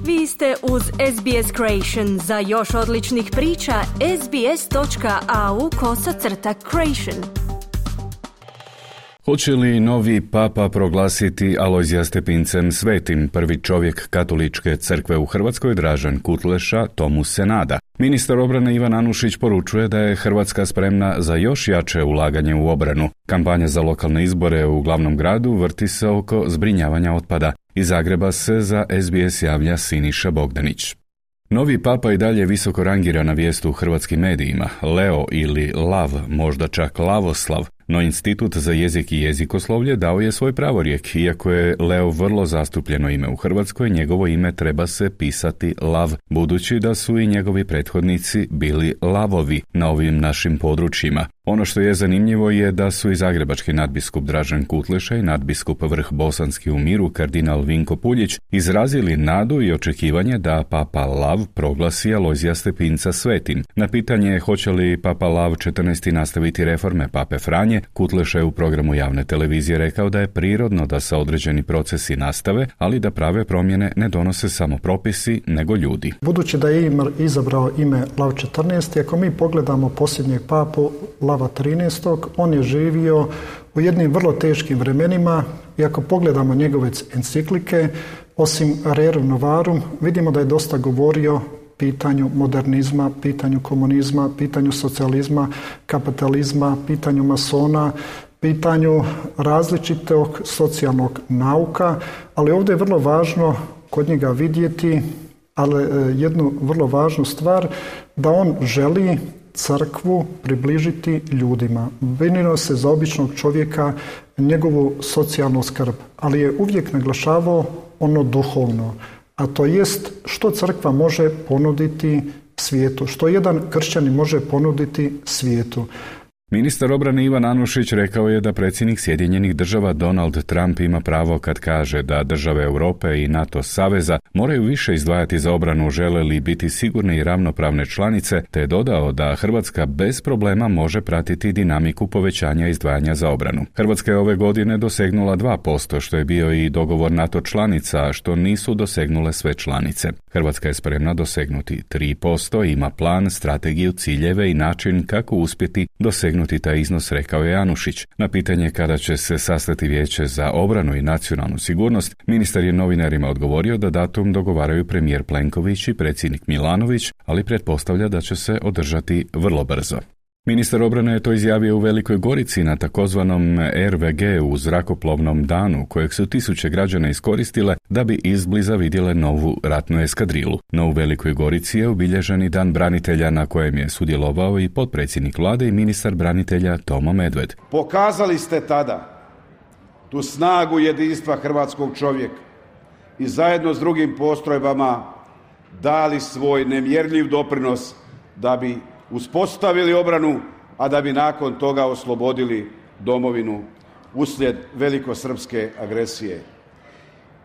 Vi ste uz SBS Creation. Za još odličnih priča, sbs.au/creation. Hoće li novi papa proglasiti Alojzija Stepincem svetim? Prvi čovjek katoličke crkve u Hrvatskoj, Dražen Kutleša, tomu se nada. Ministar obrane Ivan Anušić poručuje da je Hrvatska spremna za još jače ulaganje u obranu. Kampanja za lokalne izbore u glavnom gradu vrti se oko zbrinjavanja otpada. Iz Zagreba se za SBS javlja Siniša Bogdanić. Novi papa i dalje visoko rangirana vijest u hrvatskim medijima. Leo ili Lav, možda čak Lavoslav, no Institut za jezik i jezikoslovlje dao je svoj pravorijek. Iako je Leo vrlo zastupljeno ime u Hrvatskoj, njegovo ime treba se pisati Lav, budući da su i njegovi prethodnici bili Lavovi na ovim našim područjima. Ono što je zanimljivo je da su i zagrebački nadbiskup Dražen Kutleša i nadbiskup Vrh Bosanski u Miru kardinal Vinko Puljić izrazili nadu i očekivanje da papa Lav proglasi Alojzija Stepinca svetim. Na pitanje hoće li papa Lav 14. nastaviti reforme pape Franje, Kutleša je u programu javne televizije rekao da je prirodno da se određeni procesi nastave, ali da prave promjene ne donose samo propisi, nego ljudi. Budući da je izabrao ime Lav 14. ako mi pogledamo posljednjeg papu Lava 13. on je živio u jednim vrlo teškim vremenima i ako pogledamo njegove enciklike, osim Rerum Novarum, vidimo da je dosta govorio pitanju modernizma, pitanju komunizma, pitanju socijalizma, kapitalizma, pitanju masona, pitanju različitog socijalnog nauka, ali ovdje je vrlo važno kod njega vidjeti, ali jednu vrlo važnu stvar, da on želi crkvu približiti ljudima. Brinuo se za običnog čovjeka, njegovu socijalnu skrb, ali je uvijek naglašavao ono duhovno, a to jest što crkva može ponuditi svijetu, što jedan kršćanin može ponuditi svijetu. Ministar obrane Ivan Anušić rekao je da predsjednik Sjedinjenih Država Donald Trump ima pravo kad kaže da države Europe i NATO saveza moraju više izdvajati za obranu, žele li biti sigurne i ravnopravne članice, te je dodao da Hrvatska bez problema može pratiti dinamiku povećanja izdvajanja za obranu. Hrvatska je ove godine dosegnula 2%, što je bio i dogovor NATO članica, a što nisu dosegnule sve članice. Hrvatska je spremna dosegnuti 3%, ima plan, strategiju, ciljeve i način kako uspjeti dosegnuti taj iznos, rekao je Anušić. Na pitanje kada će se sastati Vijeće za obranu i nacionalnu sigurnost, ministar je novinarima odgovorio da datum dogovaraju premijer Plenković i predsjednik Milanović, ali pretpostavlja da će se održati vrlo brzo. Ministar obrane je to izjavio u Velikoj Gorici na takozvanom RVG u zrakoplovnom danu, kojeg su tisuće građana iskoristile da bi izbliza vidjele novu ratnu eskadrilu. No u Velikoj Gorici je obilježen i Dan branitelja na kojem je sudjelovao i potpredsjednik vlade i ministar branitelja Tomo Medved. Pokazali ste tada tu snagu jedinstva hrvatskog čovjeka i zajedno s drugim postrojbama dali svoj nemjerljiv doprinos da bi uspostavili obranu, a da bi nakon toga oslobodili domovinu uslijed velikosrpske agresije.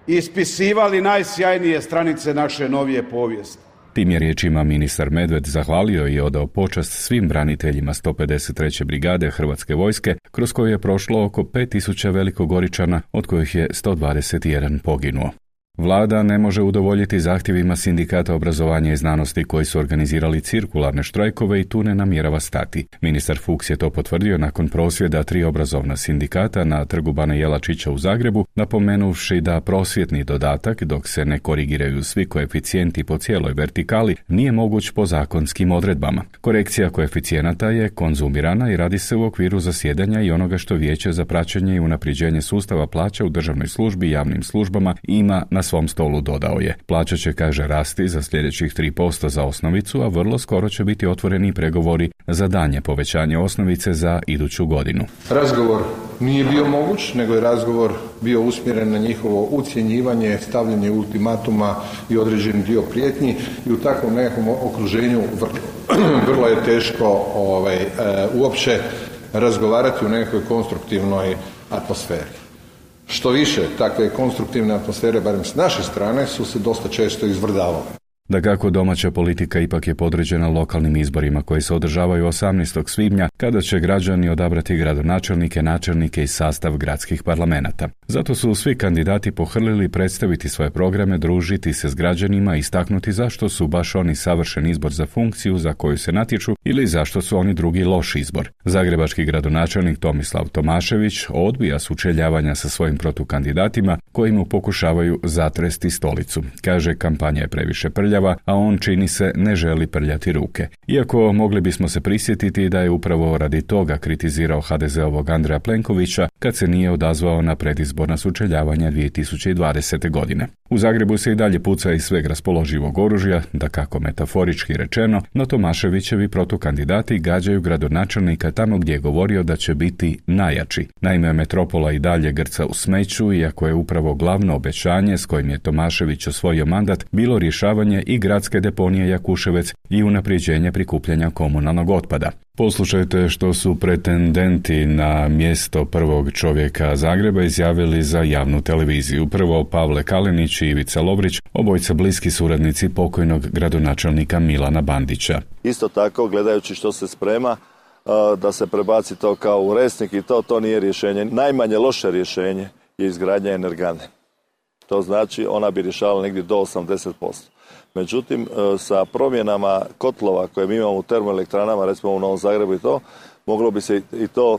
Ispisivali najsjajnije stranice naše novije povijesti. Tim je riječima ministar Medved zahvalio i odao počast svim braniteljima 153. brigade Hrvatske vojske, kroz koju je prošlo oko 5000 velikogoričana, od kojih je 121 poginuo. Vlada ne može udovoljiti zahtjevima sindikata obrazovanja i znanosti koji su organizirali cirkularne štrajkove i tu ne namjerava stati. Ministar Fuchs je to potvrdio nakon prosvjeda 3 obrazovna sindikata na trgu Bana Jelačića u Zagrebu, napomenuvši da prosvjetni dodatak, dok se ne korigiraju svi koeficijenti po cijeloj vertikali, nije moguć po zakonskim odredbama. Korekcija koeficijenata je konzumirana i radi se u okviru zasjedanja i onoga što Vijeće za praćenje i unapređenje sustava plaća u državnoj službi i javnim službama ima na svom stolu, dodao je. Plaća će, kaže, rasti za sljedećih 3% za osnovicu, a vrlo skoro će biti otvoreni pregovori za daljnje povećanje osnovice za iduću godinu. Razgovor nije bio moguć, nego je razgovor bio usmjeren na njihovo ucjenjivanje, stavljanje ultimatuma i određeni dio prijetnji i u takvom nekakvom okruženju vrlo je teško uopće razgovarati u nekakvoj konstruktivnoj atmosferi. Što više, takve konstruktivne atmosfere, barem s naše strane, su se dosta često izvrdavale. Dakako, domaća politika ipak je podređena lokalnim izborima koji se održavaju 18. svibnja, kada će građani odabrati gradonačelnike, načelnike i sastav gradskih parlamenata. Zato su svi kandidati pohrlili predstaviti svoje programe, družiti se s građanima i istaknuti zašto su baš oni savršen izbor za funkciju za koju se natječu ili zašto su oni drugi loš izbor. Zagrebački gradonačelnik Tomislav Tomašević odbija sučeljavanja sa svojim protukandidatima koji mu pokušavaju zatresti stolicu. Kaže, kampanja je previše prljava, a on, čini se, ne želi prljati ruke. Iako mogli bismo se prisjetiti da je upravo radi toga kritizirao HDZ-ovog Andreja Plenkovića kad se nije odazvao na predizborna sučeljavanja 2020. godine. U Zagrebu se i dalje puca iz sveg raspoloživog oružja, dakako metaforički rečeno, no Tomaševićevi protukandidati gađaju gradonačelnika tamo gdje je govorio da će biti najjači. Naime, metropola i dalje grca u smeću, iako je upravo glavno obećanje s kojim je Tomašević osvojio mandat bilo rješavanje i gradske deponije Jakuševec i unapređenje prikupljanja komunalnog otpada. Poslušajte što su pretendenti na mjesto prvog čovjeka Zagreba izjavili za javnu televiziju. Prvo Pavle Kalinić i Ivica Lovrić, obojica bliski suradnici pokojnog gradonačelnika Milana Bandića. Isto tako, gledajući što se sprema, da se prebaci to kao u Resnik i to nije rješenje. Najmanje loše rješenje je izgradnja energane. To znači ona bi rješavala negdje do 80%. Međutim, sa promjenama kotlova koje mi imamo u termoelektranama, recimo u Novom Zagrebu i to, moglo bi se i to...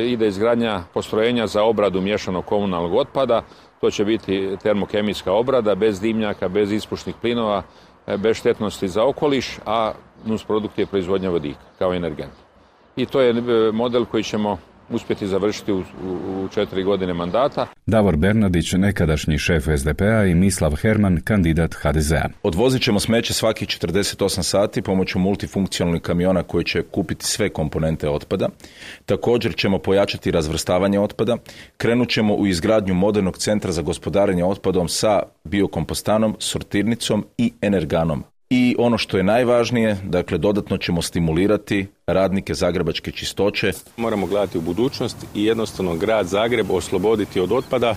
Ide izgradnja postrojenja za obradu miješanog komunalnog otpada. To će biti termokemijska obrada, bez dimnjaka, bez ispušnih plinova, bez štetnosti za okoliš, a nusprodukt je proizvodnja vodika kao energent. I to je model koji ćemo uspjeti završiti u 4 godine mandata. Davor Bernardić, nekadašnji šef SDP-a, i Mislav Herman, kandidat HDZ-a. Odvozit ćemo smeće svakih 48 sati pomoću multifunkcionalnih kamiona koji će kupiti sve komponente otpada. Također ćemo pojačati razvrstavanje otpada. Krenut ćemo u izgradnju modernog centra za gospodarenje otpadom sa biokompostanom, sortirnicom i energanom. I ono što je najvažnije, dakle, dodatno ćemo stimulirati radnike zagrebačke čistoće. Moramo gledati u budućnost i jednostavno grad Zagreb osloboditi od otpada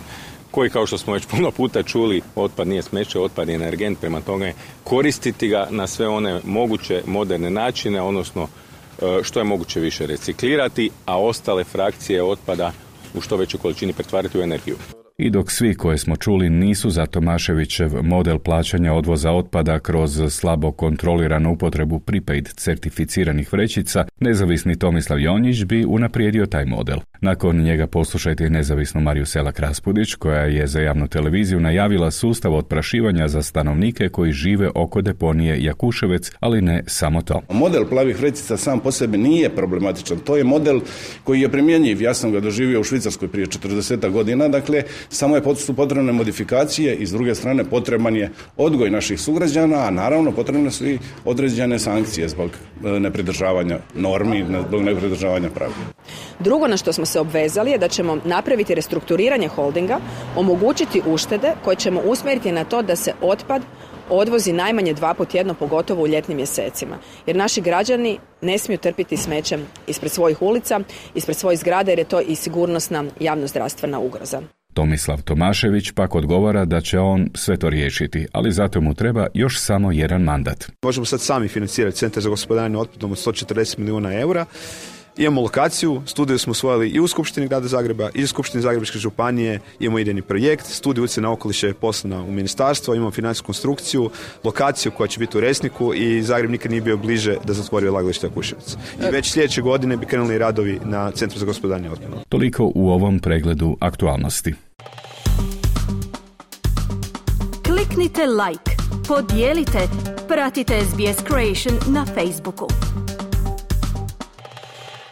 koji, kao što smo već puno puta čuli, otpad nije smeće, otpad je energent, prema tome koristiti ga na sve one moguće moderne načine, odnosno što je moguće više reciklirati, a ostale frakcije otpada u što većoj količini pretvarati u energiju. I dok svi koje smo čuli nisu za Tomaševićev model plaćanja odvoza otpada kroz slabo kontroliranu upotrebu prepaid certificiranih vrećica, nezavisni Tomislav Jonjić bi unaprijedio taj model. Nakon njega poslušajte i nezavisnu Mariju Selak-Raspudić, koja je za javnu televiziju najavila sustav otprašivanja za stanovnike koji žive oko deponije Jakuševec, ali ne samo to. Model plavih vrećica sam po sebi nije problematičan. To je model koji je primjenjiv. Ja sam ga doživio u Švicarskoj prije 40 godina, dakle, samo su potrebne modifikacije i s druge strane potreban je odgoj naših sugrađana, a naravno potrebne su i određene sankcije zbog nepridržavanja normi, zbog nepridržavanja pravila. Drugo na što smo se obvezali je da ćemo napraviti restrukturiranje holdinga, omogućiti uštede koje ćemo usmjeriti na to da se otpad odvozi najmanje 2 puta tjedno, pogotovo u ljetnim mjesecima. Jer naši građani ne smiju trpiti smećem ispred svojih ulica, ispred svojih zgrada, jer je to i sigurnosna javnozdravstvena ugroza. Tomislav Tomašević pak odgovara da će on sve to riješiti, ali zato mu treba još samo jedan mandat. Možemo sad sami financirati Centar za gospodarenje otpadom od 140 milijuna eura. Imamo lokaciju, studiju smo usvojili i u Skupštini grada Zagreba i u Skupštini Zagrebačke županije, imamo idejni projekt, studiju utjecaja na okoliš je poslana u ministarstvo, imamo financijsku konstrukciju, lokaciju koja će biti u Resniku i Zagreb nikad nije bio bliže da zatvori odlagalište Jakuševac. I već sljedeće godine bi krenuli radovi na Centru za gospodarenje otpadom. Toliko u ovom pregledu aktualnosti. Kliknite like, podijelite, pratite SBS Creation na Facebooku.